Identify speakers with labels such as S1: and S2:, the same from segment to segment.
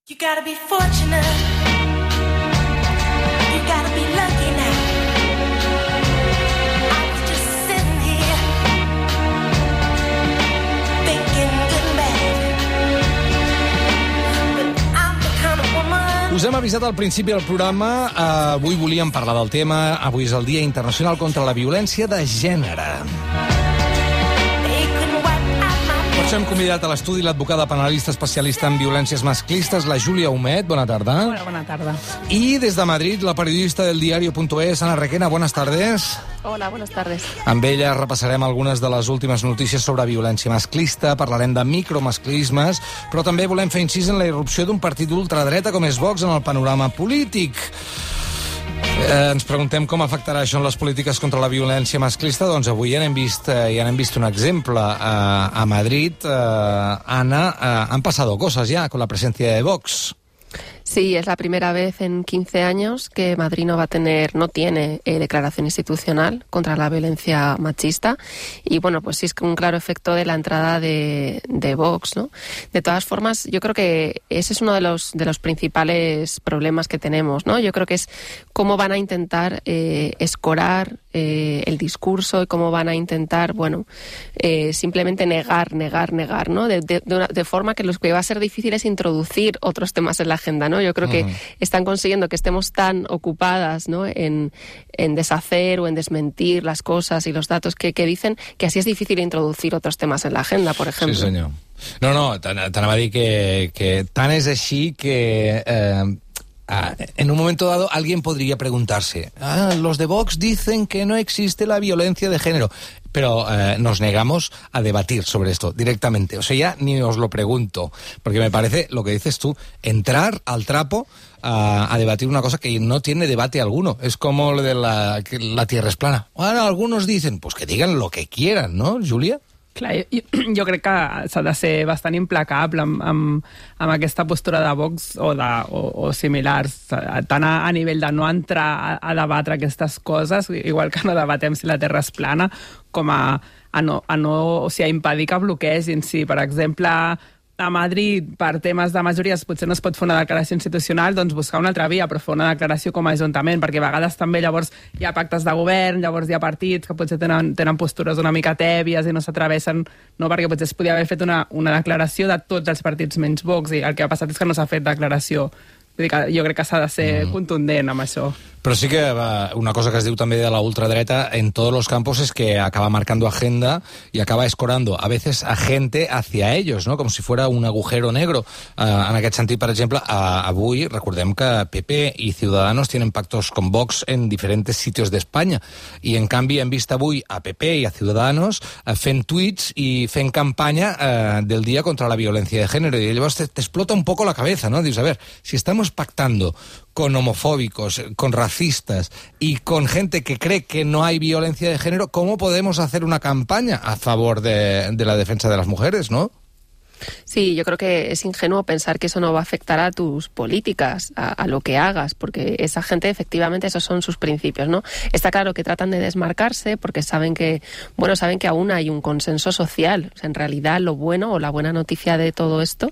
S1: You gotta be fortunate. You gotta be lucky now. I was just sitting here thinking good and bad. But I'm the kind of woman.
S2: Us hem avisat al principi del programa. Avui volíem parlar del tema. Avui és el Dia Internacional contra la Violència de Gènere. Per això hem convidat a l'estudi l'advocada penalista especialista en violències masclistes, la Júlia Humet. Bona tarda.
S3: Hola, bona tarda.
S2: I des de Madrid, la periodista del diario.es, Ana Requena. Buenas tardes.
S3: Hola, buenas tardes.
S2: Amb ella repassarem algunes de les últimes notícies sobre violència masclista, parlarem de micromasclismes, però també volem fer incís en la irrupció d'un partit d'ultradreta com és Vox en el panorama polític. Ens preguntem com afectarà això en les polítiques contra la violència masclista. Doncs avui ja n'hem vist un exemple a Madrid. Ana, han pasado cosas ya con la presencia de Vox.
S3: Sí, es la primera vez en 15 años que Madrid no tiene declaración institucional contra la violencia machista. Y bueno, pues sí es un claro efecto de la entrada de Vox, ¿no? De todas formas, yo creo que ese es uno de los principales problemas que tenemos, ¿no? Yo creo que es cómo van a intentar escorar el discurso y cómo van a intentar, simplemente negar, ¿no? De forma que lo que va a ser difícil es introducir otros temas en la agenda, ¿no? Yo creo que están consiguiendo que estemos tan ocupadas, ¿no? en deshacer o en desmentir las cosas y los datos que dicen, que así es difícil introducir otros temas en la agenda, por ejemplo.
S2: Sí, senyor. No, t'anava a dir que tant és així que... en un momento dado alguien podría preguntarse, los de Vox dicen que no existe la violencia de género, pero nos negamos a debatir sobre esto directamente. O sea, ya ni os lo pregunto, porque me parece, lo que dices tú, entrar al trapo a debatir una cosa que no tiene debate alguno. Es como lo de que la Tierra es plana. Ahora algunos dicen, pues que digan lo que quieran, ¿no, Júlia?
S4: Clar, jo crec que s'ha de ser bastant implacable amb aquesta postura de Vox o similars, tant a nivell de no entrar a debatre aquestes coses, igual que no debatem si la Terra és plana, com a impedir que bloquegin. Si, per exemple, a Madrid, per temes de majories, potser no es pot fer una declaració institucional, doncs buscar una altra via, però fer una declaració com a ajuntament, perquè a vegades també llavors hi ha pactes de govern, llavors hi ha partits que potser tenen postures una mica tèbies i no s'atreveixen, no? Perquè potser es podia haver fet una declaració de tots els partits menys Vox, i el que ha passat és que no s'ha fet declaració. Vull dir que jo crec que s'ha de ser contundent amb això.
S2: Pero sí que una cosa que es diu també de la ultradereta en todos los campos es que acaba marcando agenda y acaba escorando a veces a gente hacia ellos, ¿no? Com si fuera un agujero negro. En aquest sentit, per exemple, avui recordem que PP y Ciudadanos tienen pactos con Vox en diferentes sitios de España, y en canvi hem vist avui a PP y a Ciudadanos fent tuits y fent campaña del Día contra la Violencia de Género, y llavors te explota un poco la cabeza, ¿no? Dius, a ver, si estamos pactando con homofóbicos, con racistas y con gente que cree que no hay violencia de género, ¿cómo podemos hacer una campaña a favor de la defensa de las mujeres, no?
S3: Sí, yo creo que es ingenuo pensar que eso no va a afectar a tus políticas, a lo que hagas, porque esa gente, efectivamente, esos son sus principios, ¿no? Está claro que tratan de desmarcarse porque saben que aún hay un consenso social. O sea, en realidad, lo bueno o la buena noticia de todo esto,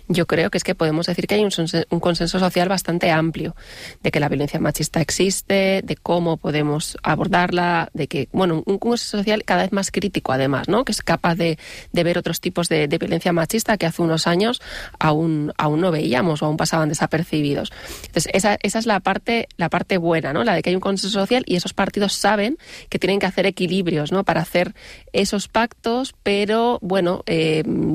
S3: yo creo que es que podemos decir que hay un consenso social bastante amplio de que la violencia machista existe, de cómo podemos abordarla, de que, un consenso social cada vez más crítico, además, ¿no? Que es capaz de ver otros tipos de violencia machista que hace unos años aún no veíamos o aún pasaban desapercibidos. Entonces, esa es la parte buena, ¿no? La de que hay un consenso social y esos partidos saben que tienen que hacer equilibrios, ¿no? Para hacer esos pactos, pero,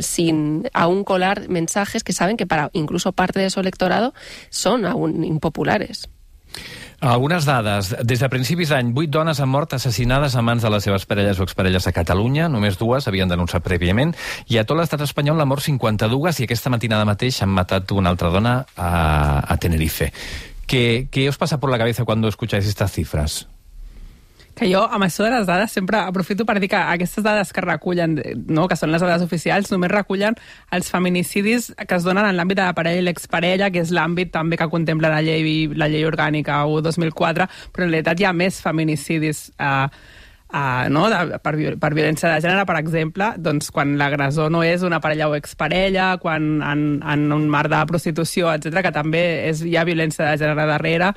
S3: sin aún colar mensajes que saben que para incluso parte de su electorado son aún impopulares.
S5: Algunes dades. Des de principis d'any, 8 dones han mort assassinades a mans de les seves parelles o exparelles a Catalunya. Només 2 havien denunciat prèviament. I a tot l'estat espanyol n'han mort 52 i aquesta matinada mateix han matat una altra dona a Tenerife. ¿Qué os pasa por la cabeza cuando escucháis estas cifras?
S4: Que jo, amb això de les dades, sempre aprofito per dir que aquestes dades que recullen, no, que són les dades oficials, només recullen els feminicidis que es donen en l'àmbit de la parella i l'exparella, que és l'àmbit també que contempla la llei orgànica 1/2004, però en realitat hi ha més feminicidis no? per violència de gènere, per exemple, doncs quan l'agressor no és una parella o exparella, quan en un marc de prostitució, etc, que també hi ha violència de gènere darrere,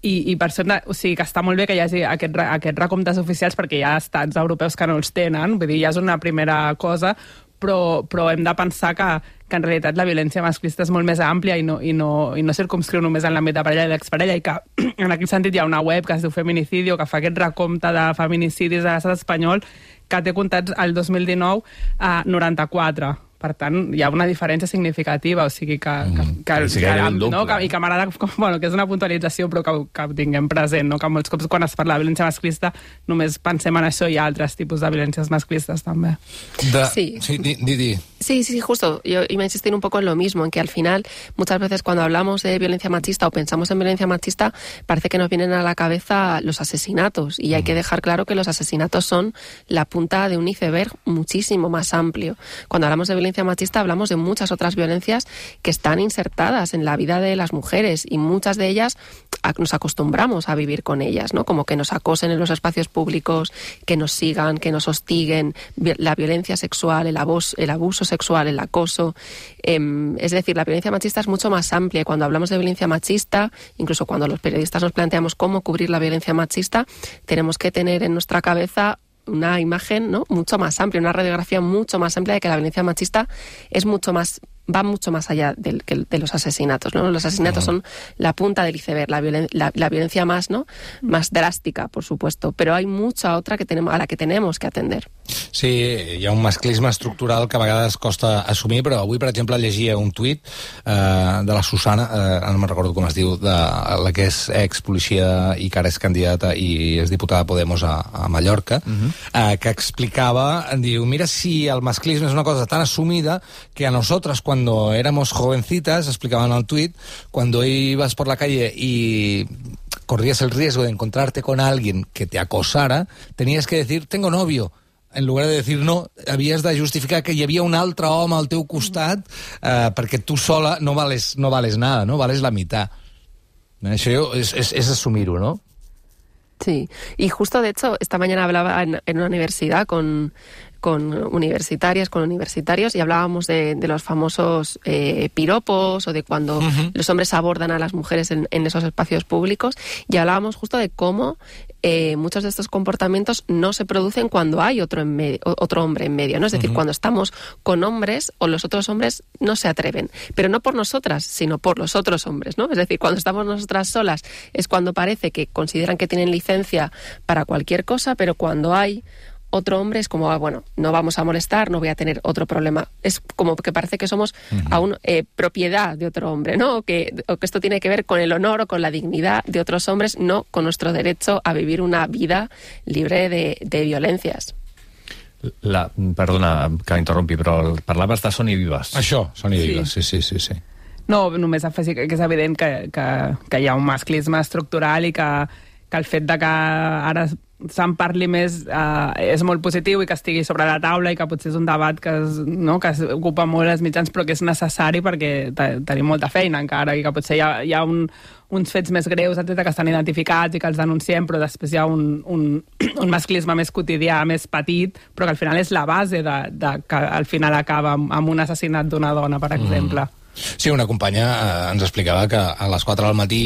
S4: i per això, o sigui, que està molt bé que hi hagi aquests recomptes oficials, perquè hi ha estats europeus que no els tenen, vull dir, ja és una primera cosa, però hem de pensar que en realitat la violència masclista és molt més àmplia i no circumscriu només en l'àmbit de parella i d'exparella, i que en aquest sentit hi ha una web que es diu Feminicidio, que fa aquest recompte de feminicidis a l'estat espanyol, que té comptats el 2019 a 94. Per tant, hi ha una diferència significativa, o sigui que i que m'agrada, que és una puntualització, però que ho tinguem present, no? Que molts cops quan es parla de violència masclista només pensem en això, y altres tipus de violencias masclistas también.
S3: Sí.
S2: Di.
S3: Sí, justo. Yo iba a insistir un poco en lo mismo, en que al final, muchas veces cuando hablamos de violencia machista o pensamos en violencia machista, parece que nos vienen a la cabeza los asesinatos, y hay que dejar claro que los asesinatos son la punta de un iceberg muchísimo más amplio. Cuando hablamos de violencia machista hablamos de muchas otras violencias que están insertadas en la vida de las mujeres, y muchas de ellas nos acostumbramos a vivir con ellas, ¿no? Como que nos acosen en los espacios públicos, que nos sigan, que nos hostiguen, la violencia sexual, el abuso sexual, el acoso. Es decir, la violencia machista es mucho más amplia, y cuando hablamos de violencia machista, incluso cuando los periodistas nos planteamos cómo cubrir la violencia machista, tenemos que tener en nuestra cabeza una imagen, ¿no?, mucho más amplia, una radiografía mucho más amplia de que la violencia machista es mucho más, va mucho más allá de los asesinatos, ¿no? Los asesinatos son la punta del iceberg, la violencia más, ¿no?, más drástica, por supuesto, pero hay mucha otra a la que tenemos que atender.
S2: Sí, hi ha un masclisme estructural que a vegades costa assumir, però avui, per exemple, llegia un tuit de la Susana, no me'n recordo com es diu, de la que és expolicia i que ara és candidata i és diputada de Podemos a Mallorca, que explicava, diu, mira si el masclisme és una cosa tan assumida que a nosotras cuando éramos jovencitas, explicaban en el tuit, cuando ibas por la calle y corrías el riesgo de encontrarte con alguien que te acosara, tenías que decir, tengo novio. En lugar de decir no, havies de justificar que hi havia un altre home al teu costat perquè tu sola no vales nada, no vales la mitad. Això és assumir-ho, ¿no?
S3: Sí, y justo de hecho esta mañana hablaba en una universidad con universitarias, con universitarios, y hablábamos de los famosos piropos, o de cuando los hombres abordan a las mujeres en esos espacios públicos, y hablábamos justo de cómo muchos de estos comportamientos no se producen cuando hay otro hombre en medio, ¿no? Es decir, cuando estamos con hombres, o los otros hombres no se atreven, pero no por nosotras, sino por los otros hombres, ¿no? Es decir, cuando estamos nosotras solas es cuando parece que consideran que tienen licencia para cualquier cosa, pero cuando hay otro hombre es como, bueno, no vamos a molestar, no voy a tener otro problema. Es como que parece que somos aún propiedad de otro hombre, ¿no? O que esto tiene que ver con el honor o con la dignidad de otros hombres, no con nuestro derecho a vivir una vida libre de violencias.
S5: Perdona que interrompi, però parlaves de Són i Vives.
S2: Això, Són i Vives, sí.
S4: No, només afegir que és evident que hi ha un masclisme estructural i que el fet de que ara se'n parli més és molt positiu, i que estigui sobre la taula, i que potser és un debat que ocupa molt els mitjans, però que és necessari perquè tenim molta feina encara, i que potser hi ha uns fets més greus, etcètera, que estan identificats i que els denunciem, però després hi ha un masclisme més quotidià, més petit, però que al final és la base que al final acaba amb un assassinat d'una dona, per exemple.
S2: Sí, una companya ens explicava que a les 4 del matí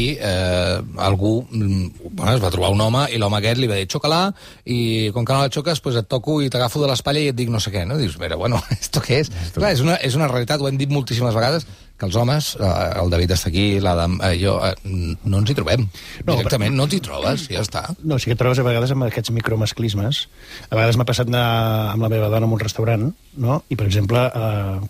S2: algú es va trobar un home, i l'home aquest li va dir xoca-la, i com que no la xoques pues et toco i t'agafo de l'espatlla i et dic no sé què, no? Dius, mira, bueno, ¿esto qué es? Clar, és una realitat, ho hem dit moltíssimes vegades, que els homes, el David està aquí, l'Adam, jo, no ens hi trobem. Directament no t'hi trobes, ja està.
S6: No, sí que et trobes a vegades amb aquests micromasclismes. A vegades m'ha passat anar amb la meva dona en un restaurant, no? I, per exemple,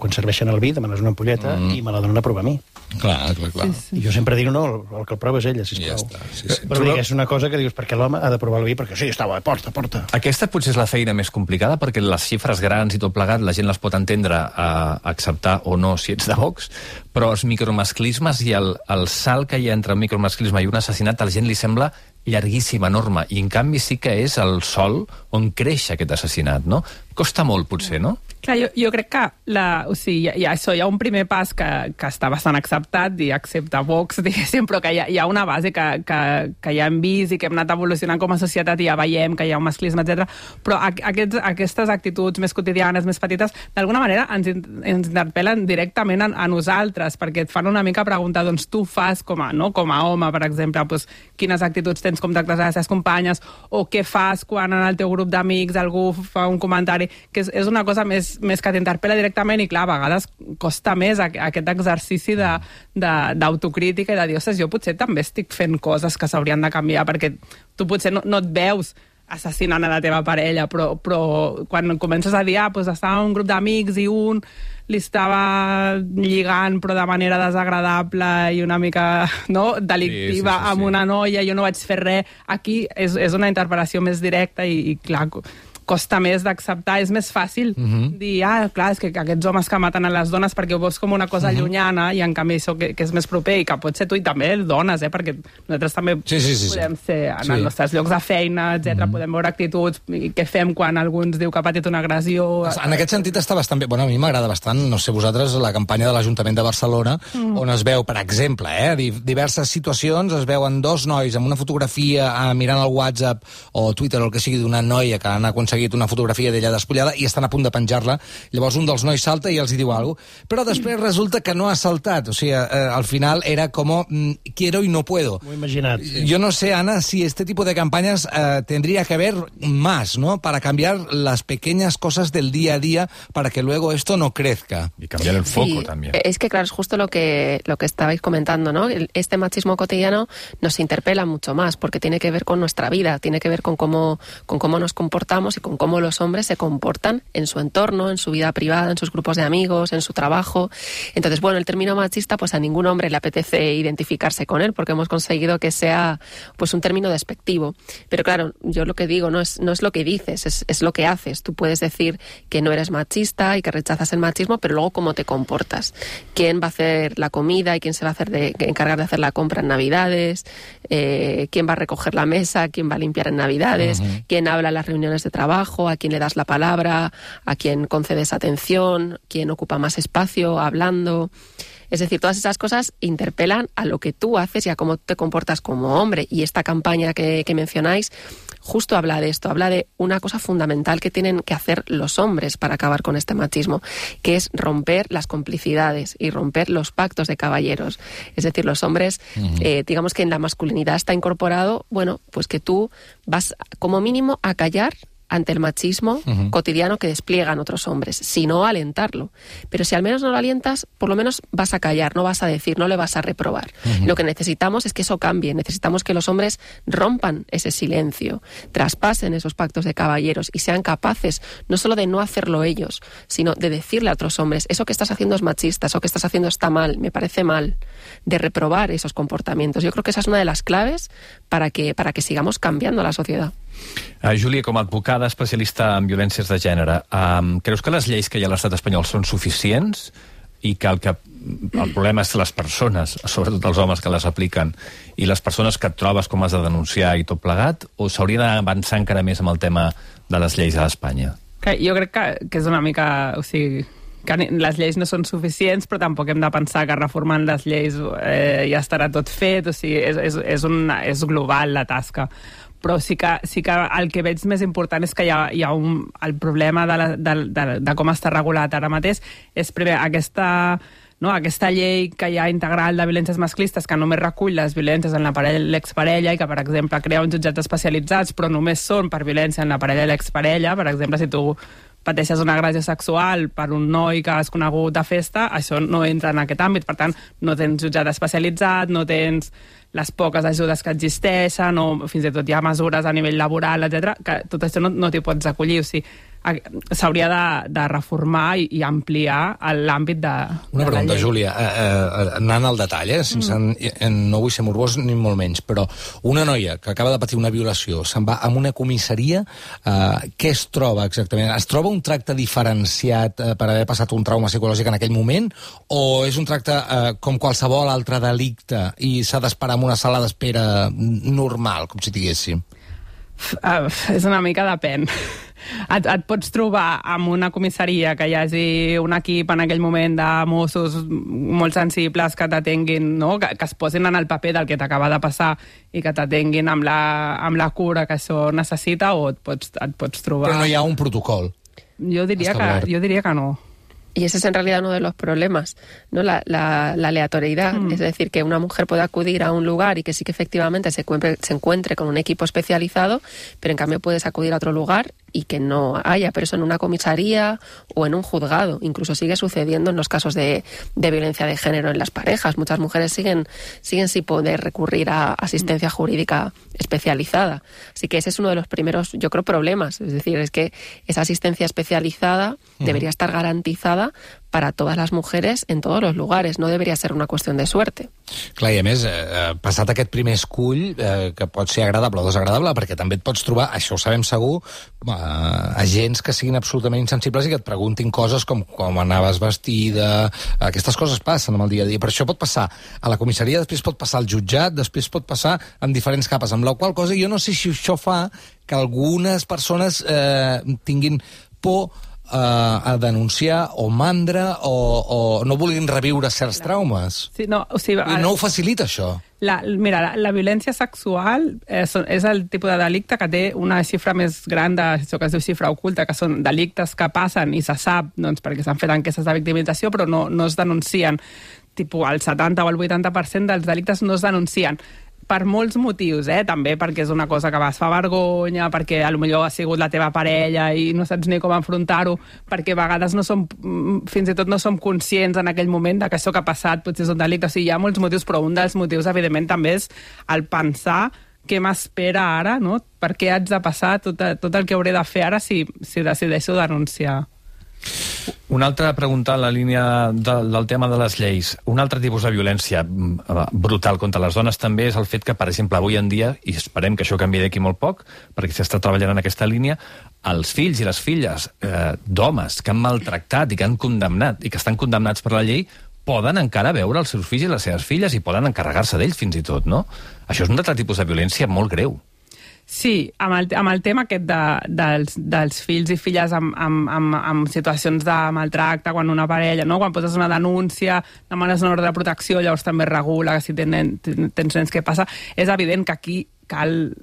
S6: quan serveixen el vi, demanes una ampolleta i me la donen a provar a mi.
S2: Clar.
S6: Sí. I jo sempre dic, no, el que el prova és ella, sisplau.
S2: Ja està, sí.
S6: Però dic, és una cosa que dius, perquè l'home ha de provar el vi, perquè sí, està bo, porta.
S5: Aquesta potser és la feina més complicada, perquè les xifres grans i tot plegat, la gent les pot entendre a acceptar o no si ets de Vox, però els micromasclismes i el salt que hi ha entre un micromasclisme i un assassinat a la gent li sembla llarguíssim, enorme, i en canvi sí que és el sòl on creix aquest assassinat, no? Costa molt, potser, no?
S4: Clar, jo crec que hi ha un primer pas que està bastant acceptat, i accepta Vox, diguéssim, però que hi ha una base que ja hem vist i que hem anat evolucionant com a societat i ja veiem que hi ha un masclisme, etc. Però aquestes actituds més quotidianes, més petites, d'alguna manera ens interpel·len directament a nosaltres, perquè et fan una mica preguntar, doncs tu fas com a home, per exemple, doncs, quines actituds tens com tractes a les teves companyes, o què fas quan en el teu grup d'amics algú fa un comentari, que és una cosa més que t'interpel·la directament, i clar, a vegades costa més aquest exercici d'autocrítica i de dir, ostres, jo potser també estic fent coses que s'haurien de canviar, perquè tu potser no et veus assassinant a la teva parella, però quan comences a dir, doncs estava en un grup d'amics i un li estava lligant però de manera desagradable i una mica delictiva amb una noia, jo no vaig fer res, aquí és una interpel·lació més directa i clar, costa més d'acceptar, és més fàcil dir, clar, és que aquests homes que maten a les dones perquè ho veus com una cosa llunyana, i en canvi això que és més proper, i que pot ser tu i també dones, perquè nosaltres també podem ser en els nostres llocs de feina, etc. Podem veure actituds, i què fem quan algú ens diu que ha patit una agressió.
S2: En aquest sentit està bastant bé. Bueno, a mi m'agrada bastant, no sé vosaltres, la campanya de l'Ajuntament de Barcelona, on es veu, per exemple, diverses situacions, es veuen dos nois amb una fotografia mirant el WhatsApp o Twitter o el que sigui d'una noia que han aconseguit una fotografia d'ella despullada i estan a punt de penjar-la. Llavors un dels nois salta i els hi diu alguna cosa, però després resulta que no ha saltat. O sigui, al final era como quiero y no puedo.
S6: Muy imaginat. Sí.
S2: Yo no sé, Ana, si este tipo de campañas tendría que haber más, ¿no? Para cambiar las pequeñas cosas del día a día para que luego esto no crezca.
S5: Y cambiar el foco también.
S3: Es que claro, es justo lo que estabais comentando, ¿no? Este machismo cotidiano nos interpela mucho más porque tiene que ver con nuestra vida, tiene que ver con cómo nos comportamos y con cómo los hombres se comportan en su entorno, en su vida privada, en sus grupos de amigos, en su trabajo. Entonces, bueno, el término machista, pues a ningún hombre le apetece identificarse con él porque hemos conseguido que sea pues un término despectivo. Pero claro, yo lo que digo no es lo que dices, es lo que haces. Tú puedes decir que no eres machista y que rechazas el machismo, pero luego cómo te comportas. ¿Quién va a hacer la comida y quién se va a encargar de hacer la compra en Navidades? ¿Quién va a recoger la mesa? ¿Quién va a limpiar en Navidades? ¿Quién habla en las reuniones de trabajo? ¿A quién le das la palabra? ¿A quién concedes atención? ¿Quién ocupa más espacio hablando? Es decir, todas esas cosas interpelan a lo que tú haces y a cómo te comportas como hombre. Y esta campaña que mencionáis justo habla de esto, habla de una cosa fundamental que tienen que hacer los hombres para acabar con este machismo, que es romper las complicidades y romper los pactos de caballeros. Es decir, los hombres, digamos que en la masculinidad está incorporado, bueno, pues que tú vas como mínimo a callar ante el machismo cotidiano que despliegan otros hombres, sino alentarlo. Pero si al menos no lo alientas, por lo menos vas a callar, no vas a decir, no le vas a reprobar. Lo que necesitamos es que eso cambie, necesitamos que los hombres rompan ese silencio, traspasen esos pactos de caballeros y sean capaces no solo de no hacerlo ellos, sino de decirle a otros hombres, eso que estás haciendo es machista, eso que estás haciendo está mal, me parece mal, de reprobar esos comportamientos. Yo creo que esa es una de las claves para que sigamos cambiando la sociedad.
S5: Júlia, com a advocada especialista en violències de gènere, creus que les lleis que hi ha a l'estat espanyol són suficients i que el problema és les persones, sobretot els homes que les apliquen, i les persones que et trobes com has de denunciar i tot plegat, o s'hauria d'avançar encara més amb el tema de les lleis a Espanya?
S4: Jo crec que és una mica... O sigui, que les lleis no són suficients, però tampoc hem de pensar que reformant les lleis ja estarà tot fet. O sigui, és global la tasca. Però sí que el que veig més important és que hi ha el problema de com està regulat ara mateix és primer aquesta llei que hi ha integral de violències masclistes que només recull les violències en la parella i l'exparella i que, per exemple, crea uns jutjats especialitzats però només són per violència en la parella i l'exparella. Per exemple, si tu pateixes una agressió sexual per un noi que has conegut de festa, això no entra en aquest àmbit. Per tant, no tens jutjat especialitzat, no tens les poques ajudes que existeixen, o fins i tot hi ha mesures a nivell laboral, etc., que tot això no t'hi pots acollir. O sigui, s'hauria de reformar i ampliar l'àmbit de
S2: Una pregunta, Júlia, anant al detall, no vull ser morbós ni molt menys, però una noia que acaba de patir una violació se'n va a una comissaria, què es troba exactament? Es troba un tracte diferenciat per haver passat un trauma psicològic en aquell moment, o és un tracte com qualsevol altre delicte i s'ha d'esperar en una sala d'espera normal, com si diguéssim?
S4: És una mica depèn. Et pots trobar amb una comissaria que hi hagi un equip en aquell moment de Mossos molt sensibles que t'atenguin, no? que es posin en el paper del que t'acaba de passar i que t'atenguin amb la cura que això necessita, o et pots trobar...
S2: Però no hi ha un protocol.
S4: Jo diria que no.
S3: Y ese es en realidad uno de los problemas, ¿no? La aleatoriedad, es decir, que una mujer puede acudir a un lugar y que sí que efectivamente se encuentre con un equipo especializado, pero en cambio puedes acudir a otro lugar y que no haya, pero eso en una comisaría o en un juzgado. Incluso sigue sucediendo en los casos de violencia de género en las parejas. Muchas mujeres siguen sin poder recurrir a asistencia jurídica especializada. Así que ese es uno de los primeros, yo creo, problemas. Es decir, es que esa asistencia especializada debería estar garantizada para todas las mujeres en todos los lugares. No debería ser una cuestión de suerte.
S2: Clar, i a més, passat aquest primer escull, que pot ser agradable o desagradable, perquè també et pots trobar, això ho sabem segur, agents que siguin absolutament insensibles i que et preguntin coses com anaves vestida. Aquestes coses passen amb el dia a dia. Per això pot passar a la comissaria, després pot passar al jutjat, després pot passar en diferents capes, amb la qual cosa jo no sé si això fa que algunes persones tinguin por a denunciar o mandra o no vulguin reviure certs traumes.
S4: Sí, no, o sigui,
S2: no ho facilita, això.
S4: Mira, la violència sexual és el tipus de delicte que té una xifra més gran d'això que es diu xifra oculta, que són delictes que passen i se sap perquè s'han fet enquestes de victimització, però no es denuncien. El 70 o el 80% dels delictes no es denuncien. Per molts motius, també perquè és una cosa que es fa vergonya, perquè potser ha sigut la teva parella i no saps ni com enfrontar-ho, perquè a vegades fins i tot no som conscients en aquell moment que això que ha passat potser és un delicte. O sigui, hi ha molts motius, però un dels motius, evidentment, també és el pensar què m'espera ara, no? Per què haig de passar tot el que hauré de fer ara si decideixo denunciar.
S5: Una altra pregunta en la línia del tema de les lleis. Un altre tipus de violència brutal contra les dones també és el fet que, per exemple, avui en dia, i esperem que això canvi d'aquí molt poc, perquè s'està treballant en aquesta línia, els fills i les filles d'homes que han maltractat i que han condemnat i que estan condemnats per la llei poden encara veure els seus fills i les seves filles i poden encarregar-se d'ells fins i tot, no? Això és un altre tipus de violència molt greu.
S4: Sí, amb el tema aquest dels fills i filles amb situacions de maltracte, quan una parella, no? Quan poses una denúncia, demanes una ordre de protecció, llavors també regula que si tens nens, què passa? És evident que aquí s'han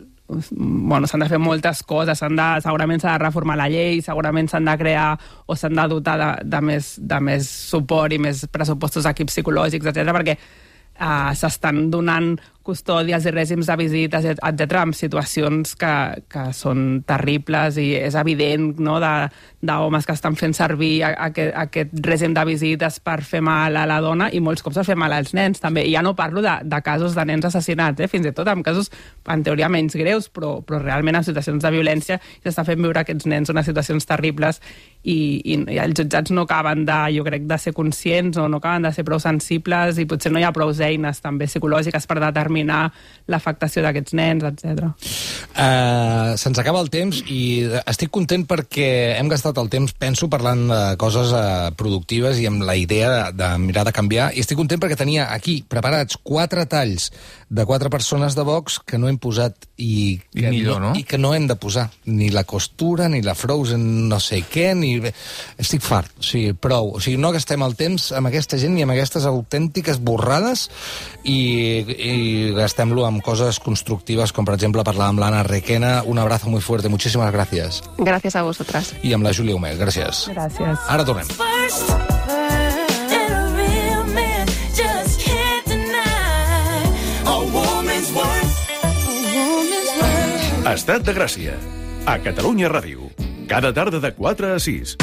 S4: de fer moltes coses, segurament s'ha de reformar la llei, segurament s'han de crear o s'han de dotar de més suport i més pressupostos d'equips psicològics, etc., perquè s'estan donant custòdies i règims de visites, etc., en situacions que són terribles, i és evident, no?, d'homes que estan fent servir aquest règim de visites per fer mal a la dona, i molts cops per fer mal als nens també. I ja no parlo de casos de nens assassinats, fins i tot en casos en teoria menys greus, però realment en situacions de violència s'està fent viure aquests nens unes situacions terribles, i els jutjats no acaben jo crec, de ser conscients, o no acaben de ser prou sensibles, i potser no hi ha prou eines també psicològiques per determinar l'afectació d'aquests nens, etc.
S2: Se'ns acaba el temps i estic content perquè hem gastat el temps, penso, parlant de coses productives i amb la idea de mirar de canviar, i estic content perquè tenia aquí preparats 4 talls de 4 persones de Vox que no hem posat i que no hem de posar. Ni la costura, ni la Frozen no sé què, ni... Estic fart, o sigui, prou. O sigui, no gastem el temps amb aquesta gent ni amb aquestes autèntiques borrades, y gastem-lo amb coses constructives, com per exemple parlar amb l'Anna Requena. Un abrazo muy fuerte, muchísimas gracias.
S3: Gracias a vosotras.
S2: I amb la Júlia Humet, gràcies.
S4: Gràcies.
S2: Ara tornem.
S7: Estat de Gràcia, a Catalunya Ràdio. Cada tarda de 4 a 6.